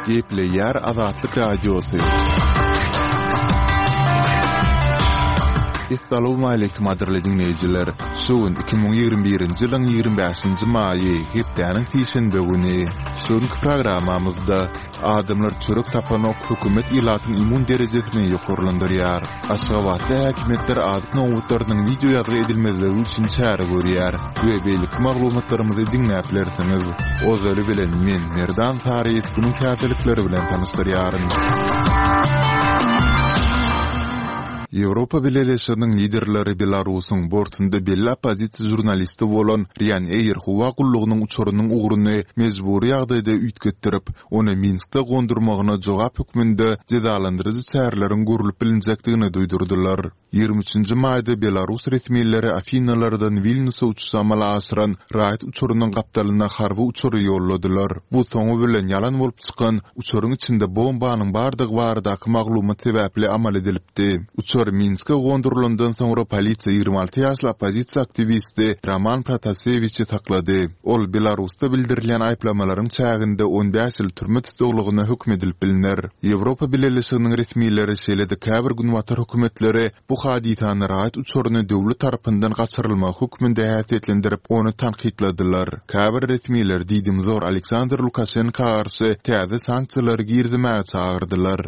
Gepleýär Azatlyk Radiosy. Essalawmaleýkim gadyrly diňleýjiler! Şu gün 2021-nji ýylyň 25-nji maýy, hepdäniň sişenbe güni. Şu günki programmamyzda Adamlar çörek tapanok, hökümet ilatyň immun derejesini ýokarlandyrýar. Aşgabatda häkimiýetler azyk nobatlarynyň wideo ýazgy edilmezligi üçin çäre görýär we beýleki maglumatlarymyzy diňläp bilersiňiz. Ozaly bilen men, Merdan Saryýew günüň täzelikleri bilen tanyşdyrýaryn. Ýewropa Bileleşiginiň liderleri Belarusyň bortunda belli oppozisiýa žurnalisti bolan Ryanair howa gullugynyň uçarynyň ugruny mejbury ýagdaýda üýtgetdirip, ony Minskde gondurmagyna jogap hökmünde jezalandyryjy çäreleriň görlüp bilinjekdigini duýdurdylar. 23-nji maýda belarus resmileri Afinalardan Wilnýusa uçuşy amala aşyran raýat uçarynyň gapdalyna harby uçary ýolladylar. Bu soňy bilen ýalan bolup çykan uçaryň içinde bombanyň bardygy baradaky maglumat sebäpli amal edilipdi. Uçar Minske gondurylandan soňra polisiýa 26 ýaşly oppozisiýa aktiwisti Roman Protasewiçi saklady. Ol Belarusda bildirilýän aýyplamalaryň çäginde 15 ýyl türme tussaglygyna höküm edilip bilner. Ýewropa Bileleşiginiň resmileri, şeýle-de käbir günbatar hökümetleri Bu hadysany raýat uçaryny döwlet tarapyndan gaçyrylmagy hökmünde häsiýetlendirip, ony tankytladylar. Käbir resmiler diýdimzor Aleksandr Lukaşenka garşy täze sanksiýalary girizmäge çagyrdylar.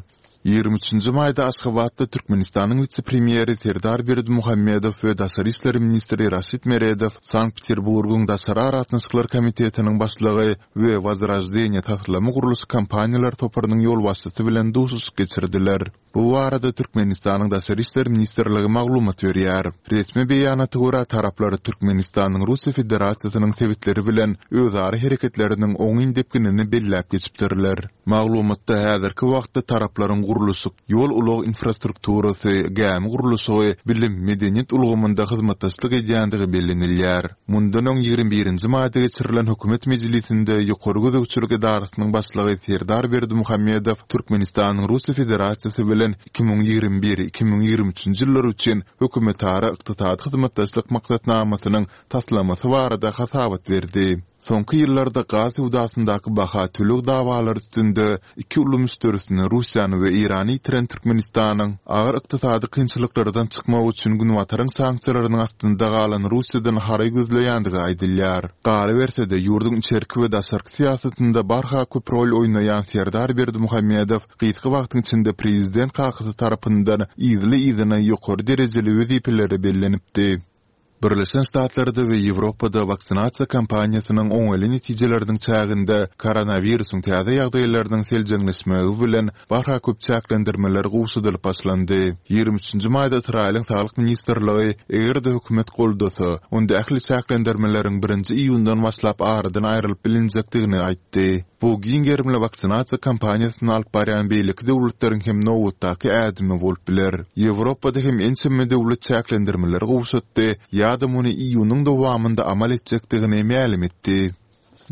23 nji maýda Aşgabatda Türkmenistanyň wise-premýeri Serdar Berdimuhamedow we daşary işler ministri Raşid Meredow Sankt-Peterburgyň Daşary aragatnaşyklar komitetiniň başlygy we Wozroždeniýe taslama gurluşyk kompaniýalar toparynyň ýolbaşçysy bilen duşuşyk geçirdiler. Bu barada Türkmenistanyň Daşary işler ministrligi maglumat berýär. Resmi beýanata görä, taraplar Türkmenistanyň Russiýa Federasiýasynyň sebitleri bilen özara hereketleriniň oňyn depginini belläp geçipdirler. Maglumatda häzirki wagtda taraplaryň gurluşyk, ýol-ulag infrastrukturasy, gämi gurluşygy, bilim, medeniýet ulgamynda hyzmatdaşlyk edýändigi bellenilýär. Mundan öň 21-nji maýda geçirilen hökümet mejlisinde Ýokary gözegçilik edarasynyň başlygy Serdar Berdimuhamedow Türkmenistanyň Russiýa Federasiýasy bilen 2021, 2023-nji ýyllar üçin hökümetara ykdysady hyzmatdaşlyk maksatnamasynyň taslamasy barada hasabat berdi. Soňky ýyllarda gaz söwdasyndaky baha töleg dawalary üstünde iki uly müşderisini Russiýany we Eýrany ýitiren Türkmenistanyň agyr ykdysady kynçylyklardan çykmak üçin Günbataryň sanksiýalarynyň astynda galan Russiýadan haraý gözleýändigi aýdylýar. Galyberse-de, ýurduň içerki we daşarky syýasatynda barha köp rol oýnaýan Serdar Berdimuhamedow gysga wagtyň içinde prezident kakasy tarapyndan yzly-yzyna ýokary derejeli wezipelere bellenipdi. Birleşen Ştatlarda we Ýewropada waksinasiýa kampaniýasynyň oňaýly netijeleriniň çäginde koronawirusyň täze ýagdaýlarynyň seljeňleşmegi bilen barha köp çäklendirmeler gowşadylyp başlandy. 23 nji maýda Ysraýylyň Saglyk ministrligi eger-de hökümet goldasa, onda ähli çäklendirmeleriň birinji iýundan başlap aradan aýrylyp bilinjekdigini aýtdy. Bu giň gerimli waksinasiýa kampaniýasyny alyp barýan beýleki döwletleriň hem nobatdaky ädimi bolup biler. Ýewropada hem ençeme döwlet çäklendirmeleri gowşatdy ýa-da muny iýunyň dowamynda amal etjekdigini mälim etdi.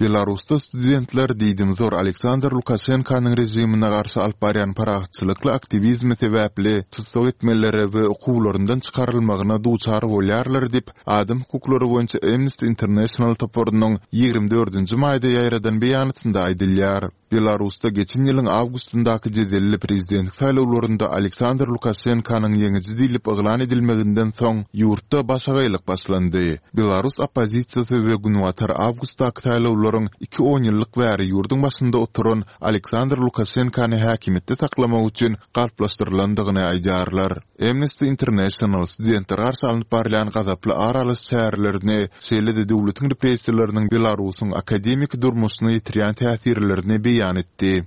Belarusda studentler diýdimzor Aleksandr Lukaşenkanyň režimine garşy alyp barýan parahatçylykly aktiwizmi sebäpli tussag etmelere we okuwlaryndan çykarylmagyna duçar bolýarlar diýip, Adam hukuklary boýunça Amnesty International toparynyň 24-nji maýda ýaýradan beýanatynda aýdylýar. Belarusda geçen ýylyň awgustyndaky jedelli prezidentlik saýlawlarynda Aleksandr Lukaşenkanyň ýeňiji diýlip yglan edilmeginden soň, ýurtda başagaýlyk başlandy. Belarus oppozisiýasy we Günbatar awgustdaky saýlawlaryň iki onýyllyk bäri ýurduň başynda oturan Aleksandr Lukaşenkany häkimiýetde saklamak üçin galplaşdyrylandygyny aýdýarlar. Amnesty International studentlere garşy alnyp barylýan gazaply ar alyş çärelerini, şeýle-de döwletiň repressiýalarynyň Belarusyň akademiki durmuşyna ýetirýän täsirlerini beýan etdi.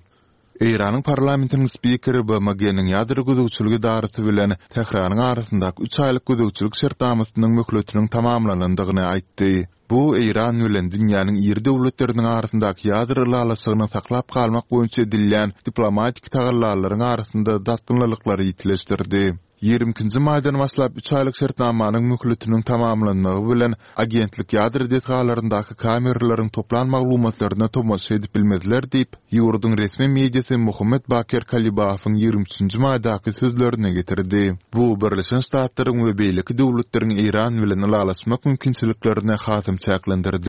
Eýranyň parlamentiniň spikeri BMG-niň ýadro gözegçilik edarasy bilen Tähranyň arasyndaky üç aýlyk gözegçilik şertnamasynyň möhletiniň tamamlanandygyny aýtdy. Bu Eýran bilen dünýäniň iri döwletleriniň arasyndaky ýadro ylalaşygyny saklap galmak boýunça edilýän diplomatik tagallalaryň arasynda dartgynlylyklary ýitileşdirdi. 22-nji maýdan başlap üç aýlyk şertnamanyň möhletiniň tamamlanmagy bilen agentlik ýadro desgalaryndaky kameralaryň toplan maglumatlaryna tomaşa edip bilmezler diýip, Ýurduň resmi mediasy Mohammed Baker Kalibafowyň 23 nji maýdaky sözlerini getirdi. Bu Birleşen Ştatlaryň we beýleki döwletleriň Eýran bilen ylalaşmak mümkinçiliklerini hasam çäklendirdi.